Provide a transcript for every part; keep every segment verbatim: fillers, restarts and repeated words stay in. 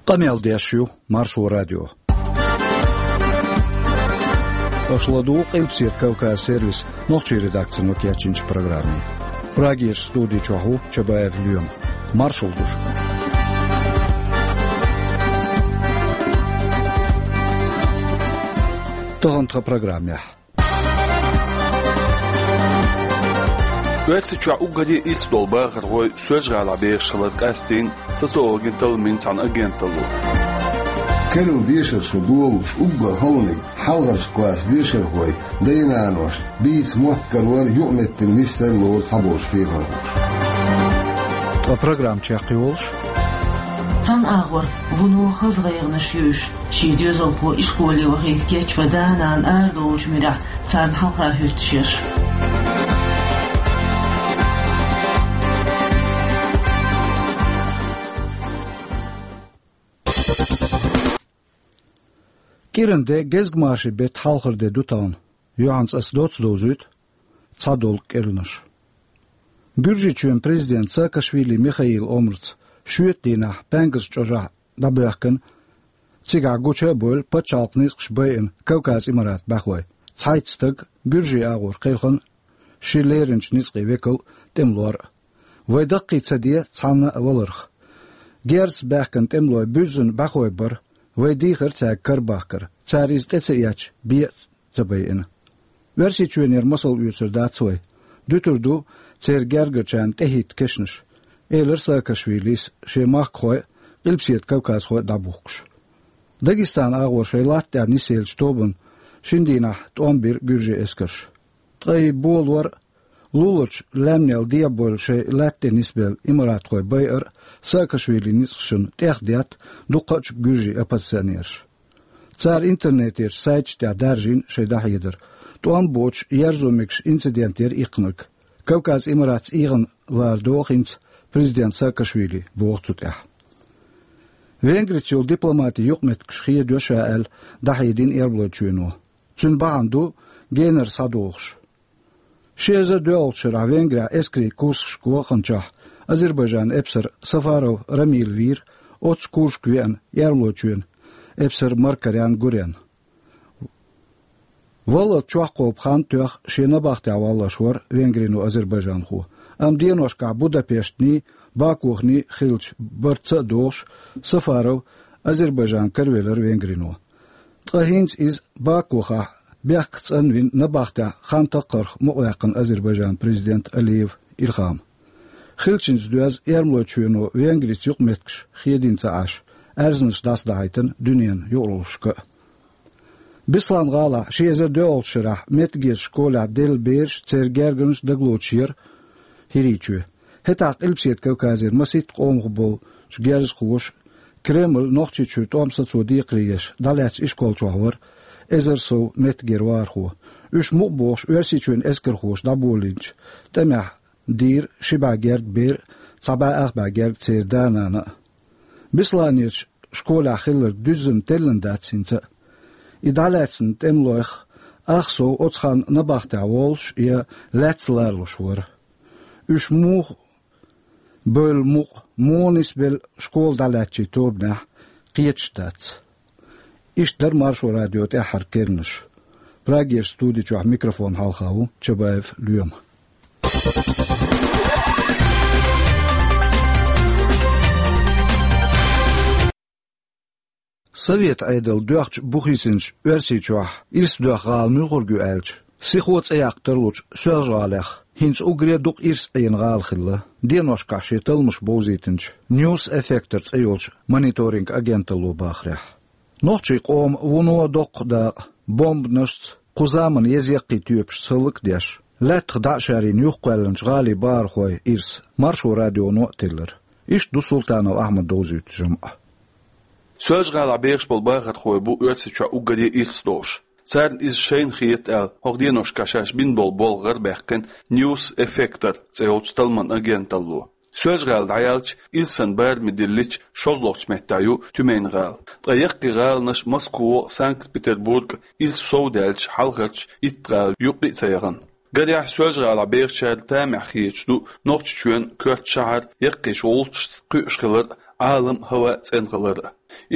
Къамел деш ю Маршо радио. Аша ладугӀу Къилбаседа Кавказ сервисан нохчийн редакцино кечйинчу программе. Прагерчу студи чохь ву Чабаев Лоьма. Маршалла ду шуьга. Тахана тхан программехь. Оьрсийчохь уггаре ирс долу бахархой Соьлжа-ГӀалахь бехаш хилар къастийна социологийн талламийн цхьана агенталло. Карла дешарш долуш уггар хьалхарчу классан дешархой, дай-наной, бийца мотт карор, юкъаметтиг нисдар лору цхьаболчу хьехархоша. Ткъа программа чекхйолуш: цхьана агӀор вуно хаза гӀайгӀанаш ю уьш. Шен доьзалхо ишколе вахийта кечбан да-нана арадолучу муьрехь царна хьалха хӀуьттуш ерш. КӀиранан де, гезгмашин беттан хьалхара де ду тахана. Юьхьанца ас доцца довзуьйту цхьадолу кӀиранаш. Гуьржийчоьнан президент Саакашвили Михаилан омрица шоьтан дийнахь Паьнкас чӀожахь дӀабоьхкина, цигахь гуча а бевлла, пачхьалкхан ницкъаш байина Кавказ Имаратан бӀаьхой. Цхьайтта стаг, гуьржийн агӀор кхелхина, ши леринчу ницкъийн векал, тӀемалор а. Вай даккхий ца де цхьанна а валарх. Герзаца баьхкина тӀемалой буьззина бӀаьхой бара, вай дийхира цаьрга карабахкар, цара иза тӀе ца эцча, бен а ца байина. Оьрсийчоьнера масал оьцур дац вай. Дуьтур ду церан гергарчарна тӀехӀитта кешнаш, элира Саакашвилис, шен махкахой а, Къилбаседа кавказхой а дӀабухкуш. Дагестанан агӀор шайн латта тӀехь нисъеллачу тобанна шина дийнахь тӀом бира гуьржийн эскарша. Ткъа и болор а, луларчу лаьмнел дехьабевлла шайн лаьтта тӀе нисбелла имаратхой байар а Саакашвилин ницкъашна тӀех детта дуккха а гуьржийн оппозиционераш. Цара интернетерчу сайташ тӀехь даржийна шайн дӀахьедар. ТӀом боцуш ерзо мегаш инцидент яра иккхинарг. Кавказ Имаратца эгӀана лара догӀу хӀинца президент Саакашвили, боху цу тӀехь. Венгрица йолу дипломатин юкъаметтигаш хедайо ша аьлла, дӀахьедина Эрмалойчоьно. Цуьнан бахьана ду генара схьадогӀуш. Ши эзар доьалгӀачу шарахь Венгрехь эскарийн курсашка ваханчохь Азербайджанан эпсар Сафаров Рамил вийра оццу курсашка веана Эрмалойчоьнан эпсар Маркарян Гурен. Валлалц чохь кхобу хан тоьхна шен набахтехь валлош вара венгрино азербайджанхо, амма деношкахь Будапештаний, Бакуханий хиллачу барца а догӀуш, Сафаров Азербайджан каравелира венгрино. Ткъа хӀинца иза Бакухахь бехк цӀанвина набахтехь хан таккхарх мукъаваьккхина Азербайджанан президент Алиев Илхам. Хиллачуьнца доьзна Эрмалойчоьно Венгрица юкъаметтигаш хедийна ца Ӏаш, аьрзнаш дӀасадахьийтина дуьненан юкъараллашка а. Беслан-гӀалахь ши эзар доьалгӀачу шарахь меттигерчу школехь делла бераш, церан гергарнаш дагалоцуш яра ХӀирийчоь. ХӀетахь Къилбаседа Кавказера масийтта къомах болчу герзахоша Кремль Нохчийчуьра тӀом сацо декхаре еш дӀалаьцначу ишкол чохь вара эзар сов меттигера вахархо. Уьш мукъа бохуш Оьрсийчоьнан эскархоша дӀаболийначу тӀамехь дийра ши бӀе гергга бер а, цхьа бӀе ах бӀе гергга церан да-нана а. Бесланерчу школехь хилларг дуьззина теллина дац хӀинца а. И дӀалаьцна тӀемалойх ах сов оцу ханна набахтехь волуш я лаьцна ларалуш вара. Уьш муха бевлла мукъа, муха нисбелла школа дӀалаьцначийн тобанехь кхеташ дац. Иштта дара Маршо радион тӀаьххьара керланаш. Прагерчу студи чохь микрофон хьалха ву Чабаев Лоьма. Совет Ӏедал доьхначу бухийсинчу Оьрсийчохь ирс доьхна гӀала муьлхарг ю аьлча, сихо цӀе яккха тарлучу Соьлжа-ГӀалех хӀинца уггаре дукха ирс Ӏийна гӀала хилла, деношкахь шен талламаш бовзийтинчу News Effector цӀе йолчу мониторинг агенталло бахарехь. Нохчийн къоман вуно доккха дакъа бомбанашца, кху заманан еза-яккхий тоьпашца хӀаллакдеш, лаьттах дӀа а шарйина юхакхоьллинчу гӀалин бахархойн ирс Маршо радионо а теллира. Иштта ду Султанов Ахьмада довзуьйту жамӀ. Соьлжа-ГӀалахь бехаш болу бахархой бу Оьрсийчохь уггаре ирс долуш. Царна иза шайна хета аьлла, хӀокху деношкахь шаьш бина болу болх гӀарабаьккхина News Effector цӀе йолчу талламан агенталло. Соьлжа-ГӀала дӀаяьлча, ирсан бараме диллича, шозлагӀчу меттехь ю Тюмень-гӀала. Ткъа яккхий гӀаланаш Москва а, Санкт-Петербург а ирс сов даьлча, хьалхарчу итт гӀала юккъе а ца яхана. Гарехь, Соьлжа-ГӀалахь бехачара тамехь хеташ ду Нохчийчоьнан коьрта шахьар яккхийчу гӀулчашца кхуьуш хилар а, Ӏалам а, хӀаваъ а цӀена хилар а.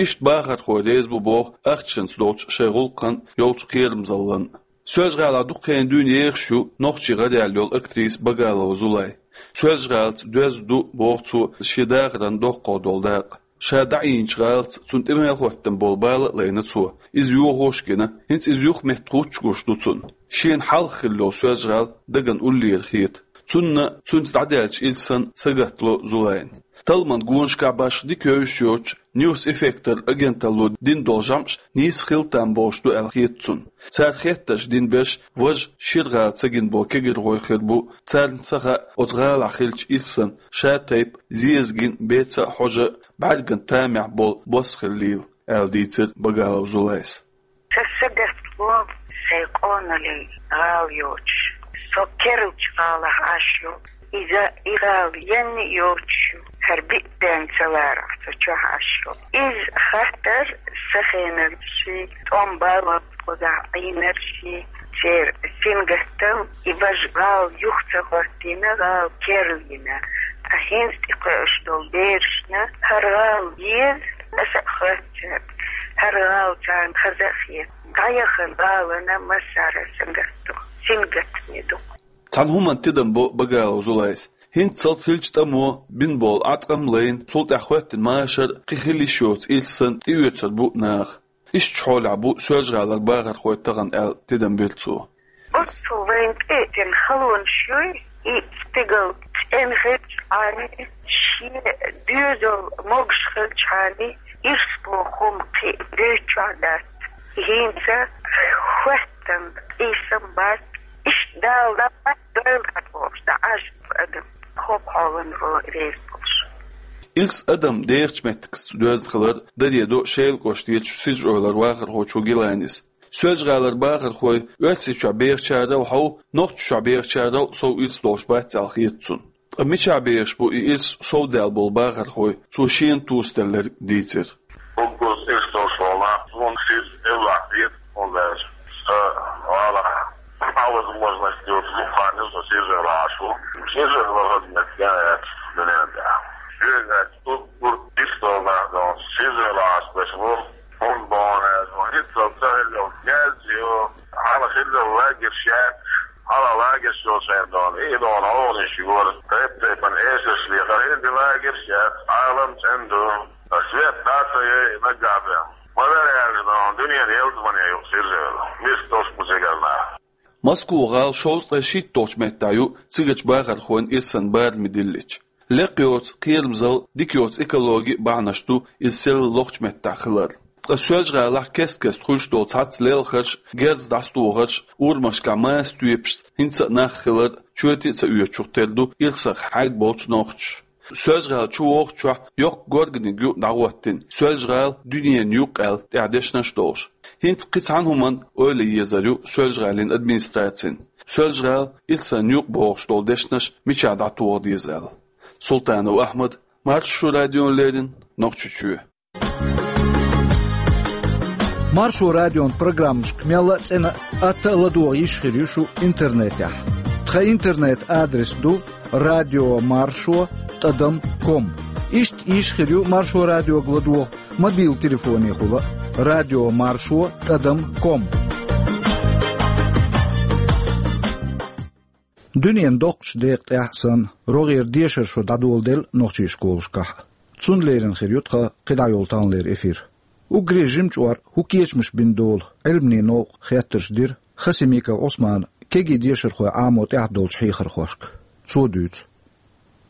Иштта бахархой реза бу боху ахчанца долчу шайн гӀуллакхана йолчу кхерамзаллина. Соьлжа-ГӀалахь дукха хенахь дуьйна ехаш ю нохчийн гӀараяьлла йолу актриса Багалова Зулай. Соьлжа-ГӀалаца доьзна ду, боху цо, шен дахаран доккхах долу дакъа. Ша дӀаийначу гӀалаца цунна тӀе мел хӀоттам болу бала а лайна цо. Иза йохош а гина, хӀинца иза юха метта гӀуттуш гуш ду цунна. Шена хьалха хилла йолу Соьлжа-ГӀала дагна уллера хета. Цунна, цуьнца дӀадаьллачу илсана сагатдало Зулайна. Талламан гонашкахь башха дика евзаш йоцуш, News Effector агенталло дина долу жамӀаш нийса хила там болуш ду аьлла хета цунна. Цара хеттарш дина берш важа шира гӀала ца гина болу кегийрхой хир бу, царна ца хаьа оцу гӀалахь хиллачу илсана ша тайпа зезаган, беца а, хьожа а, бӀаьрган тамехь болу бос хиллийла, аьлла дийцира Багалова Зулайс. Сан сагатдало сайн къоналлин гӀала йоцуш. Со керлачу гӀалахь Ӏаш йолу. Иза и гӀала янна йоцуш ю, хӀара биъ ден ца ларахь цу чохь Ӏаш йолу. Иза хаттар сан хенарш, тӀом баланца кхузахь Ӏийнарш, церан сингаттам, и важа гӀала юха ца хӀоттийна, гӀала керлийна. Ткъа хӀинца тӀекхуьуш долу берашна хӀара гӀала еза, аса а хоьтту царна, хӀара гӀала царна хаза а хета. ДӀаяхана гӀалана массара сингаттам, сингаттаме ду. Цхьана хӀуманна тидам бо Багалова Зулайс. ХӀинццалц хиллачу тӀамо бина болу Ӏаткъам лайна, цул тӀаьхьа хӀоьттина машар кхин хила йиш йоцу илсана тӀеоьцур бу наха. Иштта хьолехь бу Соьлжа-ГӀалара бахархой тахана аьлла тидам бира цо. Оццул вайна тӀе а тина халонаш юй, и стигал цӀена хилчхьана, шен доьзал могуш хилчхьана, ирс боху хӀума кхин а дуьйцуш дац. ХӀинца хӀоьттина къийсам бац, иштта Дала дӀа а, дойла а бохуш, дӀа Ӏаш бу адам, хӀокху хьолан вон реза болуш. Илс адам дехачу меттигашца доьзна хилар даре до Шелан кӀоштан дечу Сиза-Эвлара вахархочо Гиланис. Соьлжа-ГӀалара бахархой Оьрсийчохь бехачарал хьов, Нохчийчохь бехачарал сов илс долуш бац аьлла хета цунна. Ткъа мичахь бехаш бу и илс совдаьлла болу бахархой, цо шена тосаделларг дийцира. Уггар ирс долуш волу нах, суна Сиза-Эвлахь хета, хӀунда аьлча сан гӀалахь а возможность йоцу дукха хан ю со Сиза-Эвлахь Ӏаш ву. Сиза-Эвла хаза меттиг яц дуьнен тӀехь. Шуьга аьлча, уггар ирс долу нах ду Сиза-Эвлахь Ӏаш берш бу. ХӀунда боху аьлча, хӀинццалц ца хилла йолу князь ю, хьалха хилла йолу лагерьш яц, хьалха лагерьш йолу шайна дона, и дона гӀовгӀанаш йора, тайп-тайпана эшарш лехара, хӀинца лагерьш яц, Ӏалам цӀена ду. Свет дӀа а ца йой, наггахь бен. Ма вер аьлча, дуьненан ялсамане ю Сиза-Эвла. Миска долуш бу цигара нах. Москва-гӀала шовзткъе шийтталгӀачу меттехь ю цигарчу бахархойн ирсан бараме диллича. Лекха йоцу кхерамзалла, дика йоцу экологи а бахьанаш ду иза селла лохучу меттехь хилар. Ткъа Соьлжа-ГӀалахь кест-кеста хуьлуш долу цхьацца лелхарш, герз дӀасатохарш, урамашкахь маса тоьпашца хӀинца а нах хилар чоте а ца оьцуш тера ду ирсах хьаьг болчу нохчаша. Соьлжа-ГӀала чу вогӀучохь йоккха горганиг ю дӀахӀоттийна, Соьлжа-ГӀала дуьненан юкъ аьлла, тӀехь дешнаш а долуш. ХӀинца кхин цхьана хӀуманна ойла езар ю Соьлжа-ГӀалин администрацин. Соьлжа-ГӀала, ирсан юкъ бохуш долу дешнаш мичахь дӀатоха деза аьлла. Султанов Ахьмад, Маршо радиона леррина, Нохчийчоь. Маршо радион программашка мелла а цӀена а, атта а ладогӀа йиш хир ю шу интернетехь. Тхан интернет-адрес ду радио маршо тӀадам ком. Иштта йиш хир ю Маршо радиога ладогӀа мобил телефонехула: радио маршо тӀадам ком. Дуьненан доккхачу декъа тӀехь а санна, рогӀера дешаран шо дӀадоладелла нохчийн школашкахь. Цунна леррина хир ю тхан кхидӀа йолу таханлера эфир. Уггаре жимачу ор хӀун кечамаш бина долу Ӏилманийн новкъа хеттарш дира Хасимиков Ӏусмана кегий дешархой Ӏамо тӀехь долчу хьехархошка. Цо дуьйцу.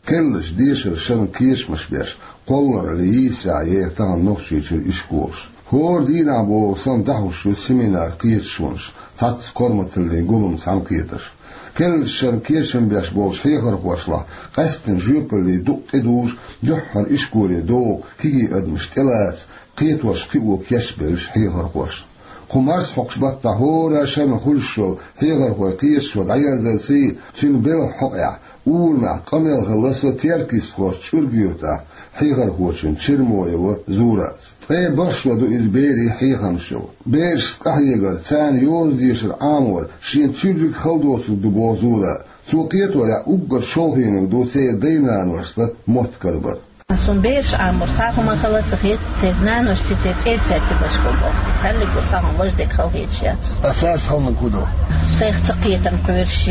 Керлачу дешаран шарна кечамаш беш, кхолларале йийсарехь яра тахана Нохчийчуьра ишколаш. ХӀора дийнахь бохург санна дӀахьош ю семинар, кхеташонаш, цхьацца корматаллин гулам, цхьаьнакхетарш. Керлачу шарна кечам беш болчу хьехархошлахь къаьсттина жоьпалле дукъ тӀедужу, дуьххьара ишколе догӀу кегий адамаш тӀелаца, кхетош кхио кечбеллачу хьехархошна. Кху марсхьокхучу баттахь хӀора шарна хуьлуш йолу хьехархой кхеташо дӀаерзарций, цуьнан белхан хьокъехь, урамехь къамел хилла со Теркйистхошчу ЧӀурга-Юьртахь хьехархочун Чермоева Зураца. Ткъе бархӀ шо ду иза берийн хьехамаш йолу. Берашца къахьегар, царна йоза дешар Ӏамор шена цуьрриг хала доцург ду, боху Зурас. Цо кхетарехь, уггар шолгӀаниг ду церан дай-наношца мотт карабар. Цун бераш Ӏамор цхьа хӀума хала ца хет, церан наношца, церан цӀерца ца башхо боху. Цаьллиг цхьа хӀума важа дерг хала хеташ яц. А цаьрца хала хӀун ду? Сайх ца кхетам кхоьруш,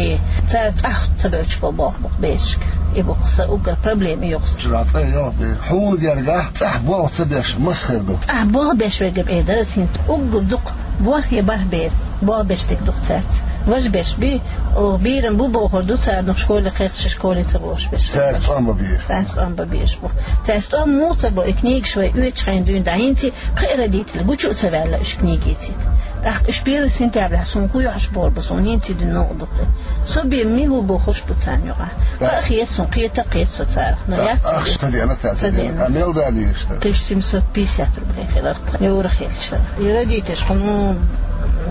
цара цӀахь ца боьлча боху боху берашка. И бу-кх сан уггар проблема юкъа. Чура цӀа йоху бер. Хьуна гергахь цӀахь болх ца беш маса хир ду? ЦӀахь болх беш верг бен дара синт. Уггар дукха ворхӀе бархӀ бер болх беш дерг ду-кх цаьрца. Важа бераш бий, о, бийран бу бохур ду цара, но школе кхехкаш, школе ца бохуш бераш. Цаьрца тӀом бан безаш. Цаьрца тӀом бан безаш бу. Цаьрца тӀом муха ца бо, и книгаш вай оьцучу хенахь дуьйна дӀа хӀинца кхин а родитель гучу а ца ваьлла уьш книга эцийта. ТӀаккха уьш первый сентября суна хӀун йохьуш бохург бу, суна хӀинца и дуьйна новкъа ду-кх. Со бен мила ву бохуш бу царна юкъахь. Кхин а хета суна, кхета а кхета со царах. Но яц а ахча ца дена цара, ца дена. А мел да дийша? Тысяча семьсот пятьдесят рублей хилар-кх. Юра хилча. И родителаш, хьуна,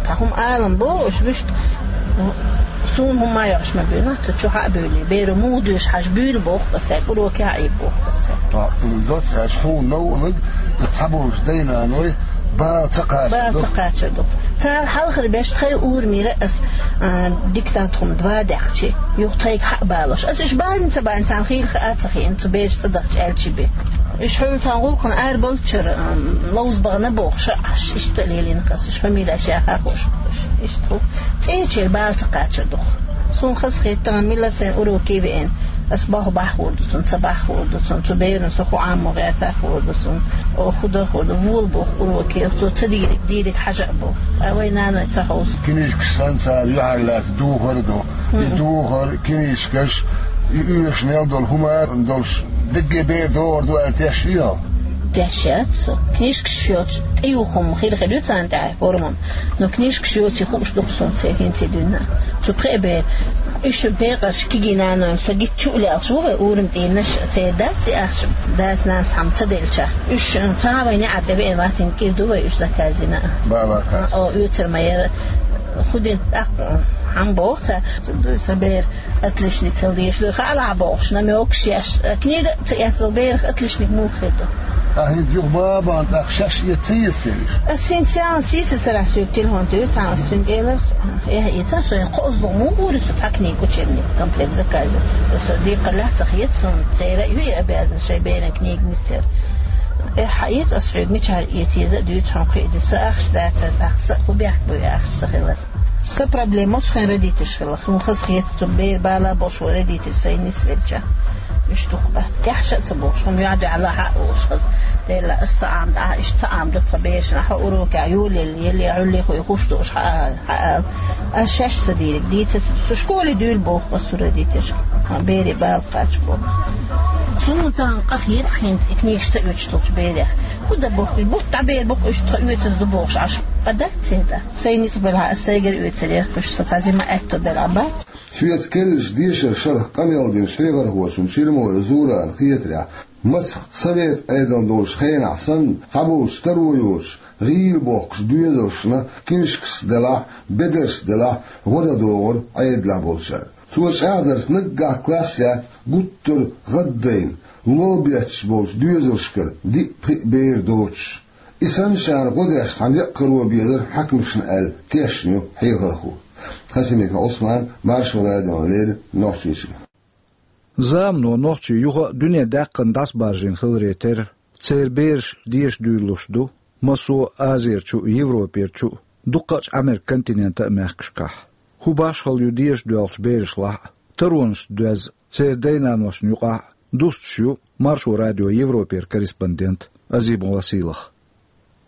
цхьа хӀума алам бо, уьш вуьшта, суна хӀума йохьуш ма буьйлу, цу чу хьа а буьйлий. Беро муха доьшу хьажа буьйлу боху аса, уроке хьаийба боху аса. Ткъа, м, доцца аьлча, хьуна новкъаниг, цхьаболчу дай-наной бала ца кхачар ду. Бала ца кхачар ду. Цара хьалхара беш тхайн урамера ас, а, диктант хӀума два даьккхича, юха тхайга хьа а балош. Ас уьш балийна ца балийна, царна хийла хаа а ца хиъна, цу бераш цӀа дахча аьлча бен. Уьш хьуна цхьана гӀуллакхана арабовлучара, м, ловза бахана бохуш, аш иштта а лелийна-кх ас, уьш фамилеш яха а хууш. Иштта хӀу. ЦӀерачеран бала ца кхачар ду-кх. Суна хазахета, тахана мила сайн уроке веана. Ас боху бахьа хуур ду цунна, ца бахьа хуур ду цунна, цу берана со хӀун Ӏамо гӀерта хуур ду цунна, о, хӀун дан хуур ду, вола боху уроке, цо ца дийриг, дийриг хьажа а боху. Ткъа вай наной ца хьовса. Книжкаш санна цара юьхьарлаьцна духар а ду. И духар, книжкаш, и оьшуш мел долу хӀума долуш, дегге бер догӀур ду аьлла теш йо? Теш яц со. Книжкаш йоцуш, тӀеюху хӀума хир-хир ю царна тӀехь форма. Но книжкаш йоций хууш ду-кх суна церан хӀинца дуьйна. Цу пхеа бер, уьш бекъарш кегий наной, со гича чу а лелаш ву вай, урам тӀийнаш церан дац и ахча, дас-нанас хьама ца делча. Уьш цхьа а вайн неӀар тӀе веана вац, кӀира ду вай уьш заказина. Бала кхача. О, оьцур ма яра. ХӀун дина тӀаккха хьан боху цара? Сан бер отличник хила дезаш ду, хаалахь бохуш, намёкаш еш. Книга а ца эцна берах отличник муха хир ду? Ахьа хӀинца юха бан-бан тӀаккха шаьш эца ца еза цераш? Ас хӀинца царна сийсара сарахь соьга телефон туьйхира цхьана, ас цуьнга элира, эхь, эца, со хӀинца кхозлагӀа муха гӀур ю со цхьа книга, учебник, комплект заказа. Со декхар лаьцна хета суна, церан а ю и обязанность шайн беран книга нисъяр. Эхь, хьаэца ас хьоьга, мичара эца еза а дуьйцу хьуна, кхин а дуьйцу, сан ахча дацара, тӀаккха сан а хӀун бехк бу и ахча сан хилар. Сан проблема оцу хенан родительш хиларх. Суна хазахета, цу бер бала болуш вай родитель сайн нисвелча. Уьш дукха бац. Тешна а ца бохуш, хӀума юьхь-дуьхьал хьа а волуш хаза. Делла, ас ца Ӏамда, ахьа иштта ца Ӏамда тхо берашна, хьо урокехь юлелла, елла, Ӏуьллий хуй хуш дууш хьа а, хьа а. Ас шаьш ца дийриг, дийца ца, со школе дуьйла боху ас цу родительшка. Берийн бала кхача боху. Суна тахана къахета хӀинца и книгаш ца оьцуш долчу берех. ХӀун дан боху, бутт дӀабер бу-кх уьш, тхо оьцуш ду бохуш Ӏаш. Къа дац церан тӀаккха. Сайн ницкъ белахь, ас сайгара оьцур яра, уьш со цхьа зима аьтто белахь бац. Соьца керлачу дешаран шарахь къамел динчу хьехархочун Чермоев Зурана хетарехь, мацах совет Ӏедал долчу хенахь санна, цхьаболчу таро йоцуш, гӀийла бохкуш доьзалшна, книжкаш делахь, бедарш делахь, гӀо дан догӀура Ӏедалехь болчара. Цо чӀагӀдарца, наггахь класс яц гуттар а гӀаддайна, лол бетташ болчу доьзалшкара диъ-пхиъ бер доцуш. И санначарна гӀо деш цхьа некъ каро безара хьаькамашна аьлла, тешна ю хьехархо. Хасимиков Ӏусман, Маршо радиона леррина, Нохчийчоь. Замано нохчий юха а дуьненан даьккхина дӀасабаржийна хиларе терра, церан бераш деша дуьйлалуш ду массо а Азерчу а, Европерчу а, дуккхачу Ӏамеркан континентан а мехкашкахь. ХӀун башхалла ю деша доьлхучу берашлахь а, таронашца доьзна церан дай-наношна юкъахь а, дустуш ю Маршо радион Европера корреспондент Азимова Сийлаха.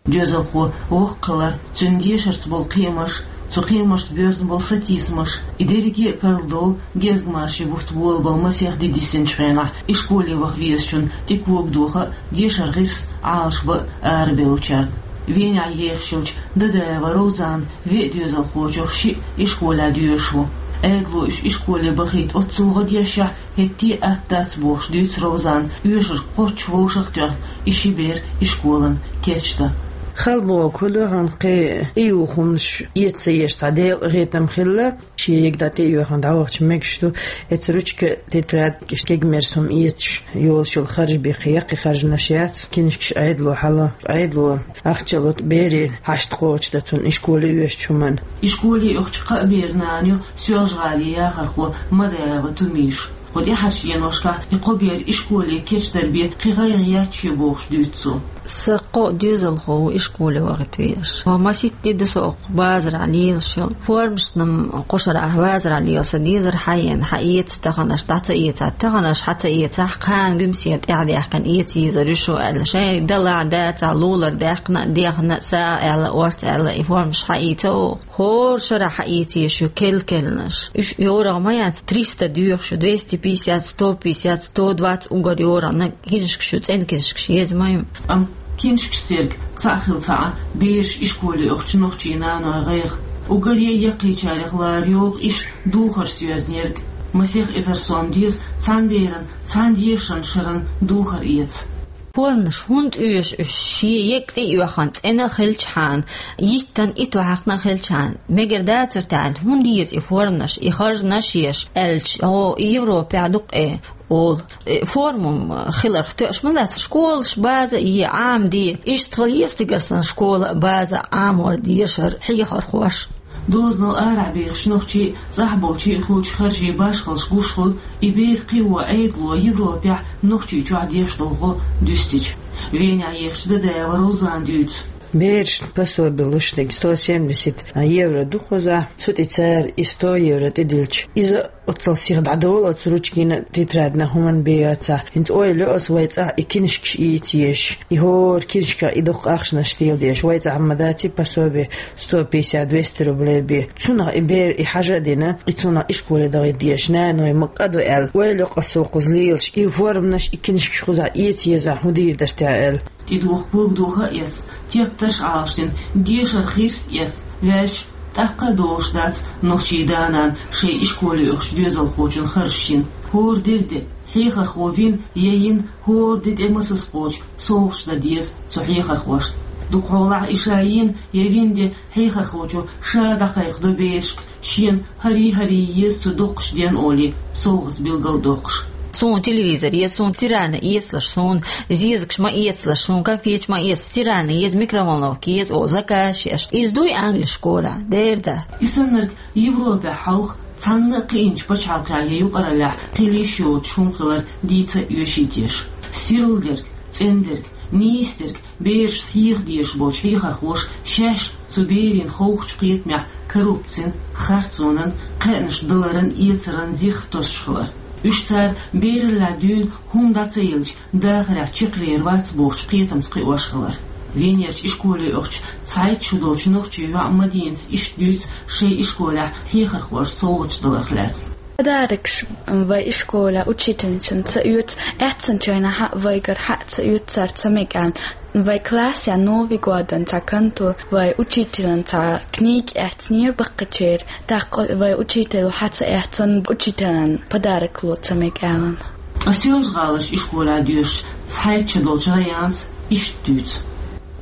Доьзалхо воккха хилар, цуьнан дешарца болу кхиамаш, цу кхиамашца боьзна болу сатийсамаш, и дерриге а карладовла гезгмашин бутт болабала масех де дисинчу хенахь, ишколе ваха везачун тӀе когадоха а, дешаран гӀирс Ӏалашбан а арабевллачарна. Венехь ехаш йолчу Дадаева Ровзанан веа доьзалхочух шиъ ишколехь доьшуш ву. Ӏедало уьш ишколе бахийта оццул гӀо дешшехь, хӀетте а атта дац бохуш дуьйцу Ровзана, оьшург кхоччуш вовшах а тоьхна, и ши бер ишколана кечдан. Хала бохург хӀун ду, хьуна кхин и юххумаш эца ца еш цхьа делкъехетам хилла, шен йига дӀа тӀе а йоьхна дӀавахча мегаш ду, эца ручка, тетрадь, кегамерса хӀума эцаш йолуш йолу харж бен кхин яккхий харжамаш яц, кинишкаш Ӏедало хьало, Ӏедало ахча ло берийн хьашт кхочушдан цунна ишколе оьшучу хӀуманна. Ишколе оьхучу кхаа беран нана ю Соьлжа-ГӀалин яхархо Мадаева Тумиша. Кхо тӀаьхьарчу деношкахь и кхо бер ишколе кечдар бен кхин гӀайгӀа яц шен бохуш дуьйцу цо. Сан кхо доьзалхо ву ишколе вахийта везаш. Маситта де ду со оха базарахь лелаш йолу. Формашна-м кху шарахь базарахь лела сан дезар хьаена, хьаэца таханаш, дӀа ца эцахь, таханаш хьа ца эцахь, кхана гуьмсе тӀаьхьадаьккхина эца езар ю шу аьлла. Шайн далахь, дацахь, лулара даьккхина, дехна, сагӀа аьлла, орца аьлла, и формаш хьаийца оха. ХӀора шарахь хьаийца езаш ю кел-келнаш. Уьш йорагӀа ма яц, триста доьхуш ю, двести пятьдесят, сто пятьдесят, сто двадцать уггар йорагӀа, нагахь киншкаш ю, цӀена киншкаш еза ма ю. Амма киншкаш серг цхьаъ хилла цхьаъ бераш ишколе оьхучу нохчийн наной гӀайгӀа. Уггаре а яккхийчарех лара йогӀу иштта духарш соьзнарг. Масех эзар сом деза цхьана беран, цхьана дешаран шаран духар эца. Форманаш хӀунда оьшу уьш, шен егга цӀе а оьхна, цӀена а хилчхьана, йиттан итт вахьахна а хилчхьана, мегар дацара тӀехь, хӀунда еза и форманаш, и харжанаш еш, аьлча, хьо Европехь дукха э, олу. Э, форма хиларх тоьаш ма дац, школаш база е Ӏама де, иштта хила еза стигалсан школа а база Ӏамор дешар хьехархош. Дозанал арахь бехаш нохчий, цӀахь болчий хуьлучу харжийн башхаллаш гуш хуьлу, и бер кхио Ӏедало Европехь Нохчийчохь деш долу гӀо дуьстича. Венехь ехачу Дадаева Розана дуьйцу. Берашна пособи луш дерг сто семьдесят евро ду кхузахь, цу тӀе цара и сто евро тӀедиллича, иза оццул сиха дӀадолу оцу ручкина, тетрадна хӀуманна бен яцахь. ХӀинца ойла йо аса вай цӀахь и киншкаш ийца езаш. И хӀора киншках и дукха ахчанаш тела дезаш. Вай цӀахь ма дац и пособи сто пятьдесят, двести рублей бен. Цунах и бер и хьажа а дина, и цунах ишколе дахийта дезаш. Наной ма кӀаду аьлла, ойла йо аса кхуза лелаш. И форманаш, и киншкаш кхузахь эца езахь, хӀун дийр дара те аьлла. ТӀедуха кога духа а эцна, тептарш а Ӏалашдина, дешар хирс а эцна ваьлча, тӀаккха а долуш дац нохчийн да-нана шайн ишколе оьхучу доьзалхочун харжаш йина. ХӀора деза де хьехархо вина я йина, хӀора де тӀе масаза кхочу совгӀаташ дан деза цу хьехархошна. Дукхахьолахь и ша йина я вина де хьехархочо ша дӀакхайкхадо берашка, шена хӀарий-хӀарий еза цу доккхачу ден олий, совгӀатца билгал доккхуш. Суна телевизор еза, суна стиральни эцалаш, суна зезагаш ма эцалаш, суна конфеташ ма эца, стиральни еза, микроволновка еза, о, заказ еш. Иза дуй Англи школехь, дера дац. И саннарг Европехь хьовха цхьанна а кхиъначу пачхьалкхехь я юкъараллехь хила йиш йоцуш хӀума хилар дийца а оьший теша. Сирла дерг, цӀена дерг, нийса дерг, берашна хьеха дезаш болчу хьехархоша шаьш цу берийн ховхачу кхетамехь коррупцин, харцонан, кхаьънаш даларан, эцаран зирх тосуш хилар. Уьш цара бераллехь дуьйна хӀума дӀа ца елча, дахарехь чекхвер вац бохучу кхетамца кхиош хилар. Венерчу ишколе оьхучу цхьайтта шо долчу нохчийн йоӀа Мадинас иштта дуьйцу шайн ишколехь хьехархоша совгӀаташ даларх лаьцна. Подарокаш вай ишколехь учительницана ца оьцу, аьцначу хенахь а вайгара хьа а ца оьцу цара ца мега аьлла. Вай классехь Новый годан цхьа контур, вай учительна цхьа книга эцнера баккхачеран, тӀаккха вай учитель хьа ца эцна, учительна подарок ло ца мега аьлла. Ткъа Соьлжа-ГӀаларчу ишколехь доьшучу цхьайтта шо долчу Раянас иштта дуьйцу.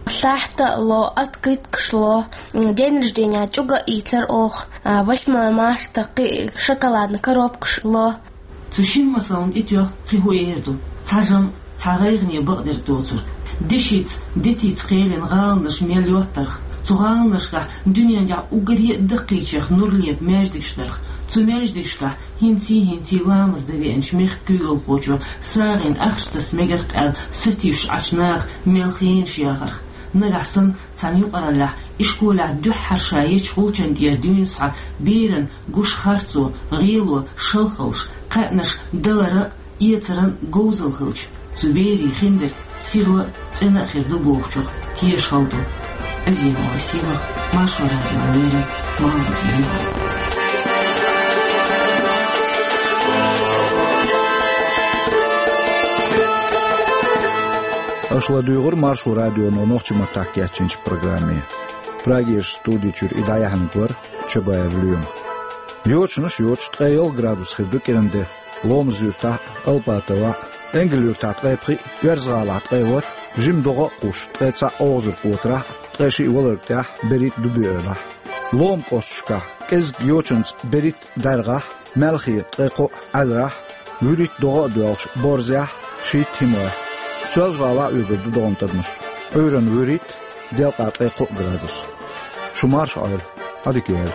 Сахьта а ло, открыткаш ло, день рождения чӀуга а ийцар оха, восьмое марта кхин шоколадный коробкаш ло. Цу шина масална тӀетоьхна кхин хӀун эр ду? Цхьа жамӀ, цхьа гӀайгӀане бакъдерг доцург. Дешица, детица кхелина гӀаланаш мел йоттарх, цу гӀаланашкахь дуьнен тӀехь уггаре а даккхийчех нур лепа маьждигаш дарх, цу маьждигашкахь хӀинций-хӀинций ламаз дан веанчу мехкан куьйгалхочо сагӀина ахча таса мегарх аьлла сатуьйсуш Ӏачу наха мел хенаш яхарх. Нагахь санна цхьана юкъараллехь ишколехь дуьххьара ша ечу гӀулчан тӀера дуьйна схьа беран гуш харцо, гӀело, шалхалш, кхаьънаш далара а, эцаран а говзалла хилча, цу берийн хиндерг сирла а, цӀена а хир ду бохучух тешахалла ду. Азимова Сийлаха, Маршо радиона леррина, Мамадина. Аша ладуьйгӀира Маршо радионо нохчийн маттахь кечйинчу программе. Прагерчу студи чуьра и дӀаяьхьнарг вара Чабаев Лоьма. Йочанаш йоцуш ткъе ялх градус хир ду кӀиран де. Ломаз-Юьртахь а, Алпатовехь а, Энгал-Юьртахь ткъе пхиъ, Оьрза-ГӀалахь ткъе ворхӀ, жима догӀа а кхуьссуш, ткъе цхьаъ ОвгӀазарг-КӀотарахь а, ткъе шиъ Валарг-ТӀехь а, берхӀитта Дуби-Эвлахь а. Лома кӀошташкахь кӀеззиг йочанца берхӀитта ДӀаьргахь а, маьлхе ткъе кхоъ Ӏаьларахь а, вуьрхӀитта догӀа а доьлхуш Борзехь а, шийтта ХӀимогӀехь а. Соьлжа-ГӀалахь а оьгур ду догӀан тӀадамаш. Ӏуьйранна вуьрхӀитта, делкъа ткъе кхоъ градус. Шу марша Ӏойла, Ӏадика йойла.